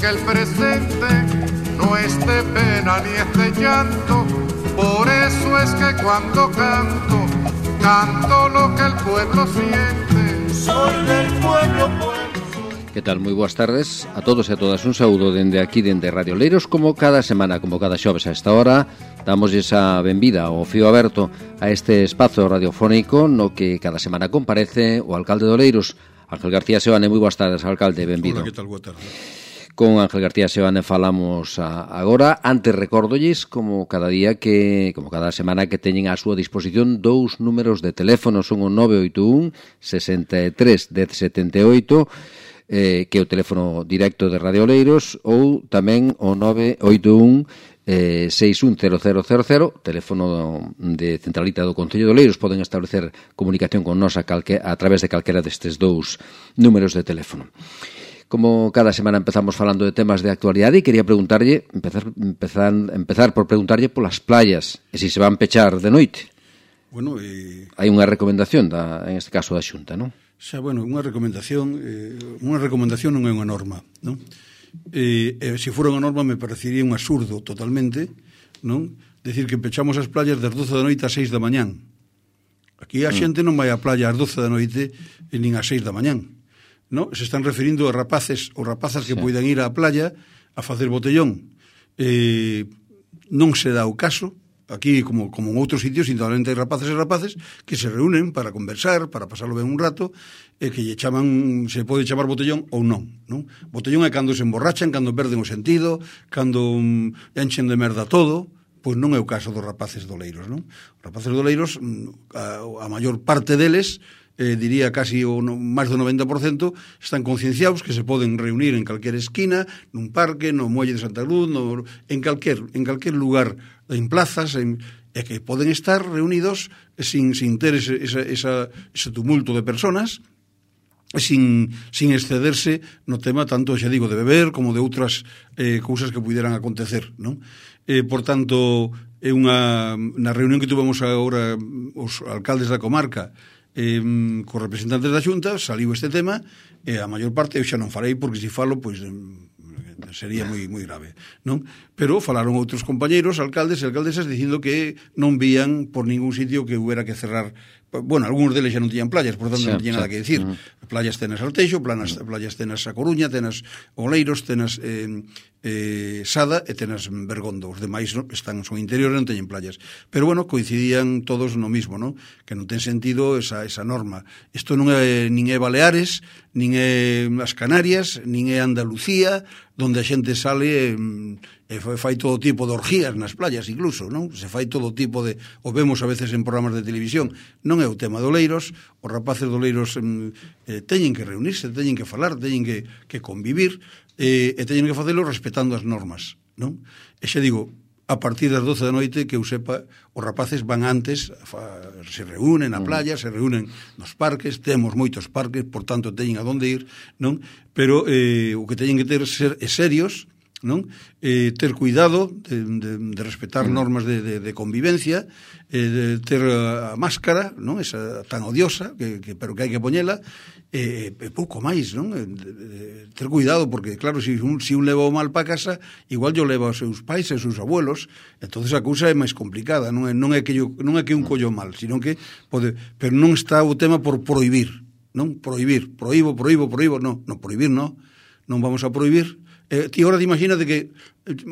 que el presente no es de pena ni es de llanto. Por eso es que cuando canto, canto lo que el pueblo siente. Soy del pueblo, Que tal? Moi boas tardes a todos e a todas. Un saúdo dende aquí, dende Radio Oleiros. Como cada semana, como cada xoves a esta hora, damos esa benvida ao fío aberto a este espazo radiofónico no que cada semana comparece o alcalde de Oleiros, Ángel García Seoane. Moi boas tardes, alcalde, benvido. Hola, que tal? Boa tarde. Con Ángel García Seoane falamos agora. Antes recórdolles, como cada día como cada semana, que teñen á súa disposición dous números de teléfono. Son o 981 63 1078, que é o teléfono directo de Radio Oleiros, ou tamén o 981 610000, teléfono de centralita do Concello de Oleiros. Poden establecer comunicación con nos a través de calquera destes dous números de teléfono. Como cada semana empezamos falando de temas de actualidade, e quería preguntarlle, empezar por preguntarlle polas playas, e se van pechar de noite. Bueno, hai unha recomendación, en este caso da Xunta, non? Xa, bueno, unha recomendación non é unha norma, non? Se fora unha norma me parecería un absurdo totalmente, non? Decir que pechamos as playas das 12 da noite ás 6 da mañán. Aquí a xente non vai á playa ás 12 da noite nin ás 6 da mañán. No, se están referindo a rapaces ou rapazas que poidan ir á playa a facer botellón. Non se dá o caso, aquí como en outros sitios, indudablemente hai rapaces e rapaces que se reúnen para conversar, para pasarlo ben un rato, e que lle chaman, se pode chamar botellón ou non, non? Botellón é cando se emborrachan, cando perden o sentido, cando enchen de merda todo. Pois non é o caso dos rapaces de Oleiros, non? Os rapaces de Oleiros, a maior parte deles, diría casi máis do 90%, están concienciados que se poden reunir en calquer esquina, nun parque, no muelle de Santa Cruz, en calquer lugar, en plazas, e que poden estar reunidos sin ter ese tumulto de personas, sin excederse no tema tanto, xa digo, de beber como de outras cousas que puderan acontecer, non? Por tanto, na reunión que tuvemos agora os alcaldes da comarca cos representantes da Xunta, saliu este tema, e a maior parte eu xa non farei, porque se falo, pois sería moi grave, non? Pero falaron outros compañeiros, alcaldes e alcaldesas, dicindo que non vían por ningún sitio que hubiera que cerrar. Bueno, algúns deles xa non tiñan playas, por tanto non tiñan nada que decir. Playas tenas Alteixo, playas tenas A Coruña, tenas Oleiros, tenas Sada e tenas Bergondo. Os demais son interiores, non teñen playas. Pero bueno, coincidían todos no mismo, non? Que non ten sentido esa norma. Isto non é nin é Baleares, nin é as Canarias, nin é Andalucía, donde a xente sale e fai todo tipo de orgías nas playas, incluso, non? Se fai todo tipo de... O vemos a veces en programas de televisión. Non é o tema de Oleiros. Os rapaces de Oleiros teñen que reunirse, teñen que falar, teñen que convivir, e teñen que facelo respetando as normas, non? E xa digo, a partir das 12 da noite, que eu sepa, os rapaces van antes, se reúnen na playa, se reúnen nos parques, temos moitos parques, por tanto teñen a donde ir, non? Pero o que teñen que ter ser serios, non? Ter cuidado de respetar normas de convivencia, de ter a máscara, non? Esa tan odiosa, pero que hai que poñela, e pouco máis, non? Ter cuidado, porque claro, se un leva o mal para casa, igual yo leva aos seus pais e aos seus abuelos, entonces a cousa é máis complicada, non é que un collo mal, sino que pode, pero non está o tema por prohibir, non? Prohibir, proíbo, non prohibir, non vamos a prohibir. Ti agora imagínate que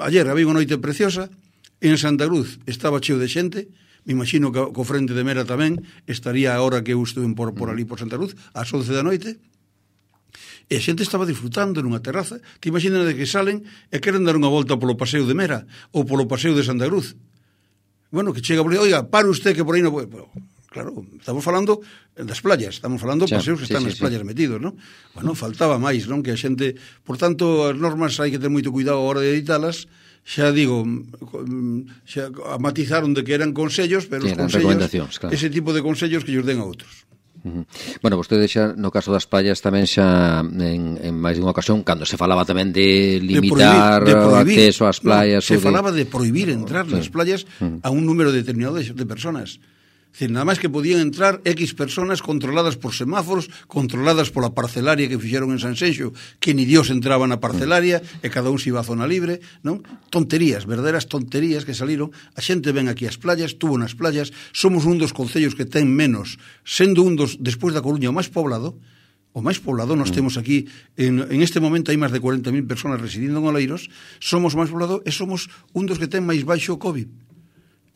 ayer había unha noite preciosa en Santa Cruz, estaba cheo de xente, me imagino que co frente de Mera tamén estaría a hora que eu estuve por ali por Santa Cruz, ás 11 da noite, e a xente estaba disfrutando nunha terraza. Ti imagínate que salen e queren dar unha volta polo paseo de Mera ou polo paseo de Santa Cruz. Bueno, que chega por aí, oiga, pare usted que por aí non pode... Claro, estamos falando das playas, estamos falando de paseos que están nas playas metidos, non? Bueno, faltaba máis, non? Que a xente... Por tanto, as normas hai que ter moito cuidado a hora de editalas. Xa digo, xa matizaron de que eran consellos, pero os consellos, claro, ese tipo de consellos que lles den a outros. Bueno, vostede xa no caso das playas tamén xa en máis de unha ocasión, cando se falaba tamén de limitar o acceso ás playas, se falaba de prohibir entrar nas playas a un número determinado de personas. Decir, nada máis que podían entrar X personas controladas por semáforos, controladas pola parcelaria que fixeron en Sanxenxo, que ni Dios entraba na parcelaria e cada un se iba a zona libre, non? Tonterías, verdaderas tonterías que saliron. A xente ven aquí ás playas, tuvo nas playas, somos un dos concellos que ten menos, sendo un dos, despois da Coruña, o máis poblado, nós temos aquí, en este momento hai máis de 40.000 personas residindo en Oleiros, somos o máis poblado e somos un dos que ten máis baixo o COVID.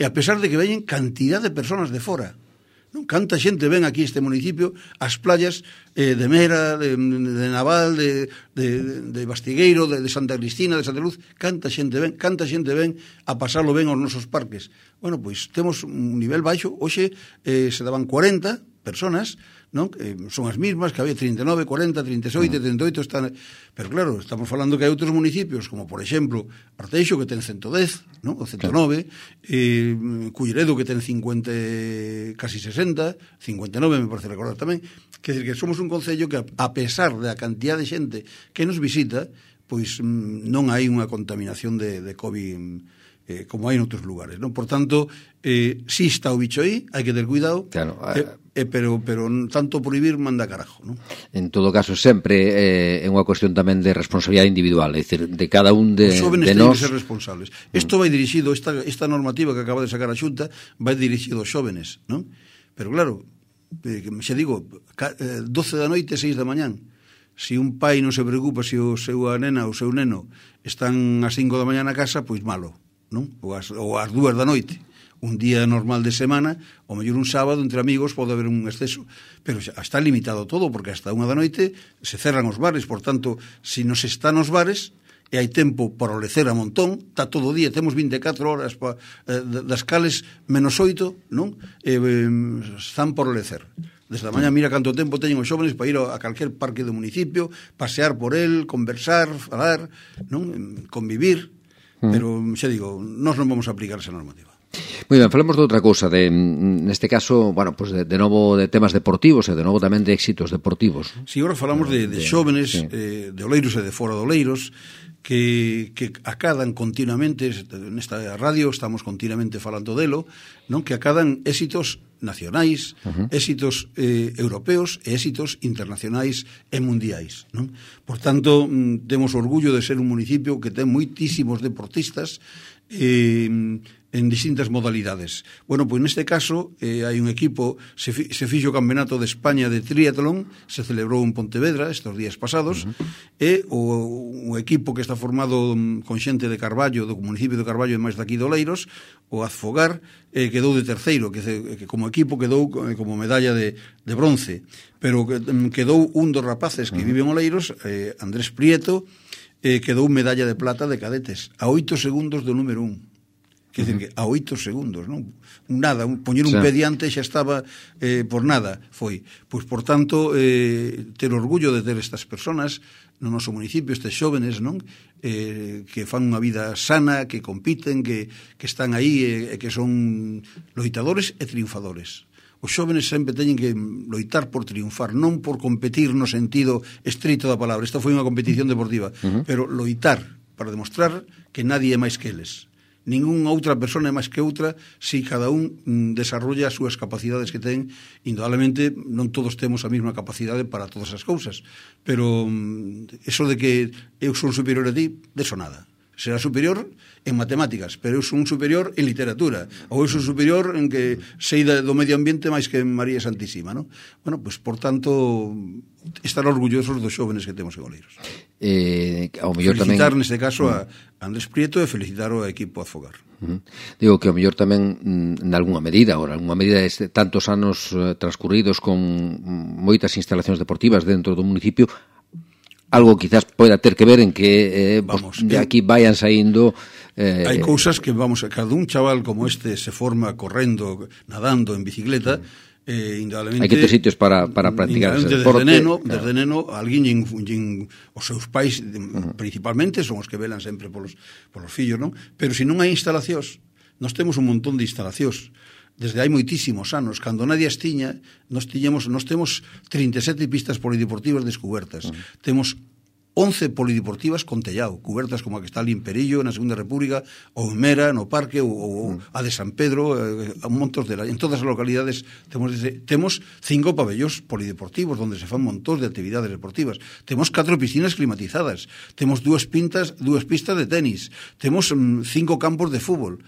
E a pesar de que veñen cantidad de personas de fora, non? Canta xente ven aquí este municipio, as playas de Mera, de Naval, de Bastigueiro, de Santa Cristina, de Santa Luz, canta xente ven a pasarlo ben aos nosos parques. Bueno, pois temos un nivel baixo, hoxe se daban 40 personas, non? Son as mismas que había 39, 40, 37, 38 están... Pero claro, estamos falando que hai outros municipios como por exemplo Arteixo que ten 110, non? O 109, Culleredo que ten 50, casi 60, 59 me parece recordar tamén. Quer dizer que somos un concello que a pesar da cantidad de xente que nos visita, pois non hai unha contaminación de COVID como hai en outros lugares, non? Por tanto, si está o bicho aí, hai que ter cuidado, claro, pero tanto prohibir manda carajo, non? En todo caso, sempre é unha cuestión tamén de responsabilidade individual, é dicir, de cada un de nós. Os jóvenes teñen que ser responsables. Isto vai dirixido, esta normativa que acaba de sacar a Xunta, vai dirixido aos jóvenes, non? Pero claro, xa digo, 12 da noite, 6 da mañán, se un pai non se preocupa se o seu nena ou o seu neno están ás 5 da mañá na casa, pois malo, non? Ou ás 2 da noite. Un día normal de semana, ou mellor un sábado, entre amigos, pode haber un exceso. Pero está limitado todo, porque hasta 1 da noite se cerran os bares. Por tanto, se nos están os bares, e hai tempo para olecer a montón, está todo o día, temos 24 horas das cales menos 8, non? Están por olecer. Desde a mañá mira canto tempo teñen os xóvenes para ir a calquer parque do municipio, pasear por el, conversar, falar, non? Convivir. Pero, xa digo, nós non vamos a aplicar esa normativa. Moi ben, falemos de outra cousa, neste caso, bueno, pues de novo de temas deportivos e de novo tamén de éxitos deportivos. Si, agora falamos de xóvenes, sí, de Oleiros e de fora de Oleiros, que acadan continuamente, nesta radio estamos continuamente falando delo, non? Que acadan éxitos nacionais, éxitos europeos e éxitos internacionais e mundiais, non? Por tanto, temos orgullo de ser un municipio que ten moitísimos deportistas en distintas modalidades. Bueno, pois neste caso hai un equipo, se fixo o Campeonato de España de triatlón, se celebrou en Pontevedra estes días pasados, e o equipo que está formado con xente de Carballo, do municipio de Carballo e máis daqui de Oleiros, o Azfogar, quedou de terceiro, que como equipo quedou como medalla de bronce, pero quedou un dos rapaces que vive en Oleiros, Andrés Prieto, quedou medalla de plata de cadetes, a 8 segundos do número 1. Quer dizer que a 8 segundos, non? Nada, poñer un pé diante xa estaba por nada, foi. Pois, por tanto, ter orgullo de ter estas personas no noso municipio, estes xóvenes, non? Que fan unha vida sana, que compiten, que están aí e que son loitadores e triunfadores. Os xóvenes sempre teñen que loitar por triunfar, non por competir no sentido estrito da palabra. Esta foi unha competición deportiva, pero loitar para demostrar que nadie é máis que eles. Ninguna outra persona é máis que outra se cada un desarrolla as súas capacidades que ten. Indudablemente non todos temos a mesma capacidade para todas as cousas, pero eso de que eu son superior a ti, deso nada. Será superior en matemáticas, pero eu son superior en literatura, ou eu son superior en que sei do medio ambiente máis que María Santísima, non? Bueno, pois, por tanto, estar orgullosos dos xóvenes que temos en Oleiros. Felicitar, neste caso, a Andrés Prieto e felicitar ao equipo Azfogar. Digo que ao mellor tamén, nalgúna medida, tantos anos transcurridos con moitas instalacións deportivas dentro do municipio, algo quizás poida ter que ver en que de aquí vayan saindo... Hai cousas que, cada un chaval como este se forma correndo, nadando, en bicicleta, indudablemente... Hai que ter sitios para practicar ese deporte. Desde neno, alguén os seus pais, principalmente, son os que velan sempre polos fillos, non? Pero se non hai instalacións, nós temos un montón de instalacións, desde hai moitísimos anos, cando nadie as tiña, nós temos 37 pistas polideportivas descubertas, temos 11 polideportivas con tellado, cubertas como a que está ali en Perillo, na Segunda República, ou en Mera, no Parque, ou a de San Pedro, en todas as localidades temos 5 pabellóns polideportivos onde se fan montón de actividades deportivas. Temos 4 piscinas climatizadas, temos 2 pistas de tenis, temos 5 campos de fútbol.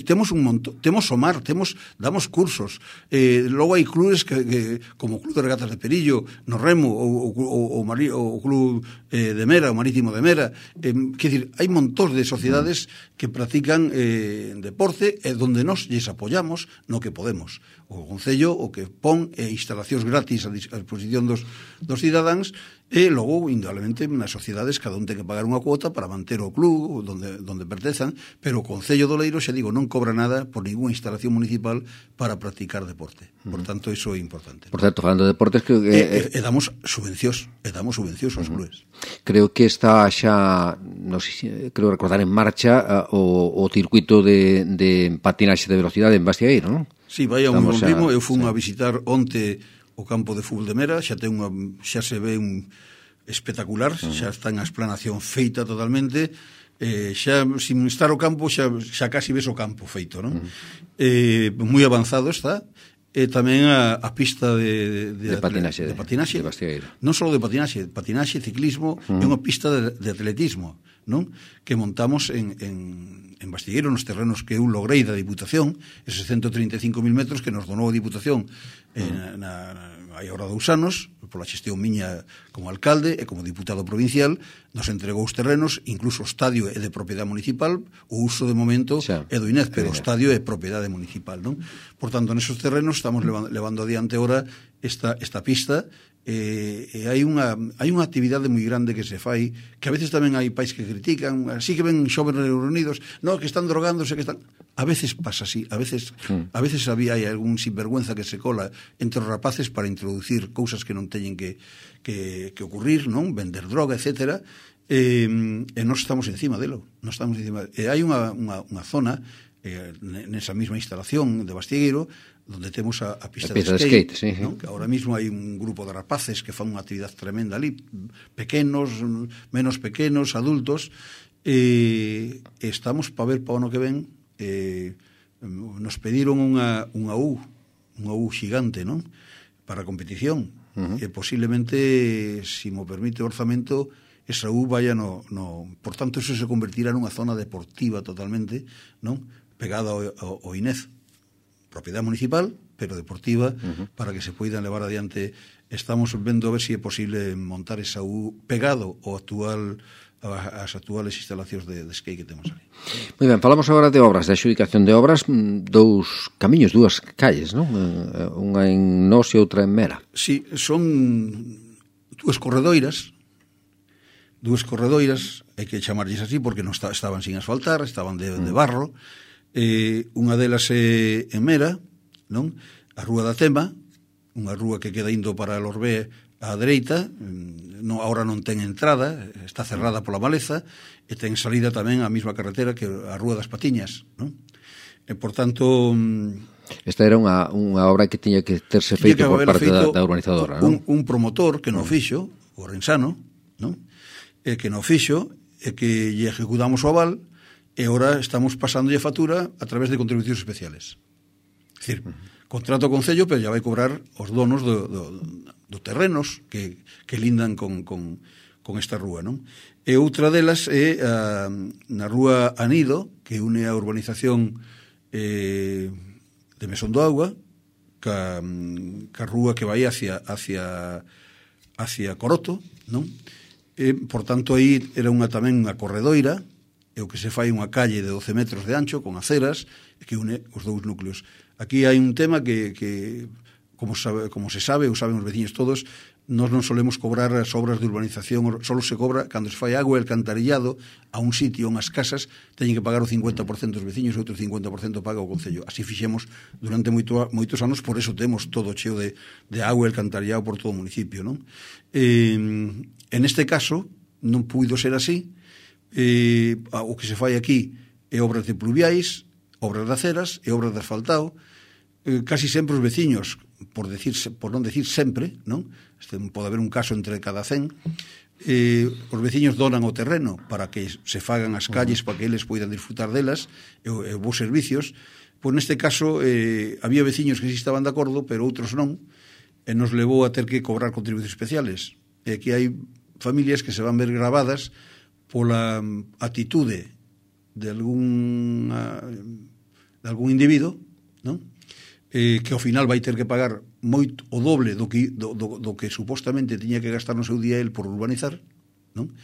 Temos un montón, temos o mar, damos cursos. Logo hai clubes que como o Club de Regatas de Perillo, no Remo, o Club de Mera, o Marítimo de Mera, quer dizer, hai montón de sociedades que practican deporte e donde nos lles apoyamos no que podemos. O Concello o que pon instalacións gratis a disposición dos cidadáns e logo, indudablemente, nas sociedades cada un ten que pagar unha cuota para manter o club donde pertezan, pero o Concello do Leiro, xa digo, non cobra nada por ninguna instalación municipal para practicar deporte. Por tanto, iso é importante. Por certo, falando de deportes, creo que... E damos subvencións aos clubes. Creo que está xa, creo recordar, en marcha o circuito de patinaxe de velocidade en Bastiegueiro, non? Sí, vai a un bom ritmo. Eu fui a visitar onte o campo de fútbol de Mera, xa se ve espectacular, xa está en a explanación feita totalmente, xa sin estar o campo xa casi ves o campo feito, non? Moi avanzado está, e tamén a pista de patinaxe de Bastiegueiro. Non só de patinaxe, ciclismo, é unha pista de atletismo, non? Que montamos en Bastiegueiro, nos terrenos que eu logrei da Diputación, eses 135.000 metros que nos donou a Diputación hai ahora 2 anos, pola xestión miña como alcalde e como diputado provincial, nos entregou os terrenos, incluso o estadio é de propiedade municipal, o uso de momento é do INEF, pero o estadio é propiedade municipal, non? Por tanto, nesos terrenos estamos levando adiante ahora esta pista, e hai unha actividade moi grande que se fai, que a veces tamén hai pais que critican, así que ven xóvenes reunidos, no, que están drogándose, que están... A veces pasa así, a veces hai algún sinvergüenza que se cola entre os rapaces para introducir cousas que non teñen que ocurrir, non? Vender droga, etcétera, e nós estamos encima delo, e hai unha zona nesa mesma instalación de Bastiegueiro donde temos a pista de skate, sí. ¿no? Que ahora mismo hai un grupo de rapaces que fan unha actividade tremenda ali, pequenos, menos pequenos, adultos, e estamos para ver para o ano que ven. Nos pediron unha U xigante, non? Para a competición, e posiblemente, se mo permite o orzamento, esa U vaya por tanto, eso se convertirá nunha zona deportiva totalmente, non? Pegada ao INEF, propiedade municipal, pero deportiva, para que se poidan levar adiante. Estamos vendo a ver se é posible montar esa U pegado as actuales instalacións de skate que temos ali. Moi ben, falamos agora de obras, de adxudicación de obras, 2 camiños, 2 calles, non? Unha en Nos e outra en Mera. Sí, son 2 corredoiras, hai que chamarlles así porque non estaban sin asfaltar, estaban de barro. Unha delas é en Mera, non? A Rúa da Tema, unha rúa que queda indo para a Lorbé á dereita, ahora non ten entrada, está cerrada pola maleza, e ten salida tamén a mesma carretera que a Rúa das Patiñas, non? E, por tanto... Esta era unha obra que tiña que terse feito por parte da urbanizadora, non? Un promotor que non fixo, o Rensano, non? Que non fixo, e que lle ejecutamos o aval, e agora estamos pasándolle a factura a través de contribucións especiales. É dicir, contrato o Concello, pero ya vai cobrar os donos dos terrenos que lindan con esta rúa, non? E outra delas é na Rúa Anido, que une a urbanización de Mesón do Agua ca rúa que vai hacia Coroto, non? E, por tanto, aí era tamén unha corredoira, e o que se fai unha calle de 12 metros de ancho con aceras que une os 2 núcleos. Aquí hai un tema que como se sabe, ou saben os veciños todos, nós non solemos cobrar as obras de urbanización, só se cobra cando se fai agua e alcantarillado a un sitio, unhas casas, teñen que pagar o 50% dos veciños e outro 50% paga o Concello. Así fixemos durante moitos anos, por eso temos todo cheo de agua e alcantarillado por todo o municipio, non? En este caso, non puido ser así. O que se fai aquí é obras de pluviais, obras de aceras e obras de asfaltado, casi sempre os veciños, por non decir sempre, non? Pode haber un caso entre cada 100, os veciños donan o terreno para que se fagan as calles, para que eles poidan disfrutar delas, e vos servicios. Pois neste caso había veciños que sí estaban de acordo, pero outros non, e nos levou a ter que cobrar contribucións especiales. E aquí hai familias que se van ver gravadas pola atitude de algún individuo, non? Que ao final vai ter que pagar moito o doble do que supostamente tiña que gastar no seu día el por urbanizar, non?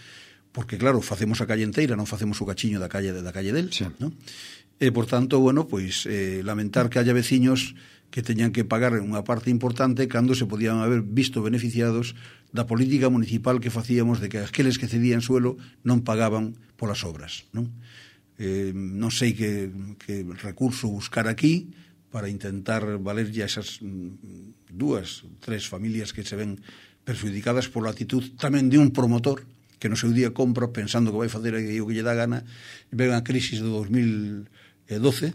Porque claro, facemos a calle inteira, non facemos o cachiño da calle del, sí. Non? E por tanto, bueno, pois lamentar que haya veciños que teñan que pagar unha parte importante cando se podían haber visto beneficiados da política municipal que facíamos de que aqueles que cedían suelo non pagaban polas obras, non? Non sei que recurso buscar aquí para intentar valerlle a esas 2, 3 familias que se ven perjudicadas pola actitud tamén de un promotor que no seu día compra pensando que vai facer o que lle dá gana, e ven a crisis do 2012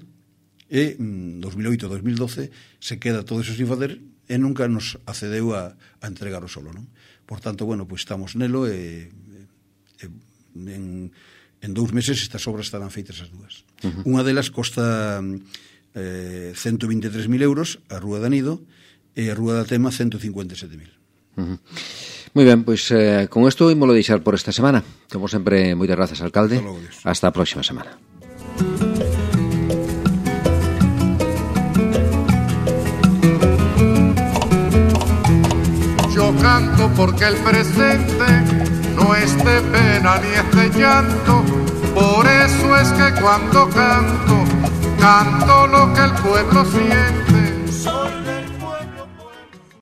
e 2008-2012 se queda todo eso sin facer e nunca nos accedeu a entregar o solo, non? Por tanto, bueno, pois estamos nelo e en 2 meses estas obras estarán feitas as 2. Unha delas costa 123.000 euros a Rúa da Nido e a Rúa da Tema 157.000. Moi ben, pois con isto ímolo deixar por esta semana. Como sempre, moitas grazas, alcalde. Hasta a próxima semana. Yo canto porque el presente no es de pena ni es de llanto. Por eso es que cuando canto, canto lo que el pueblo siente.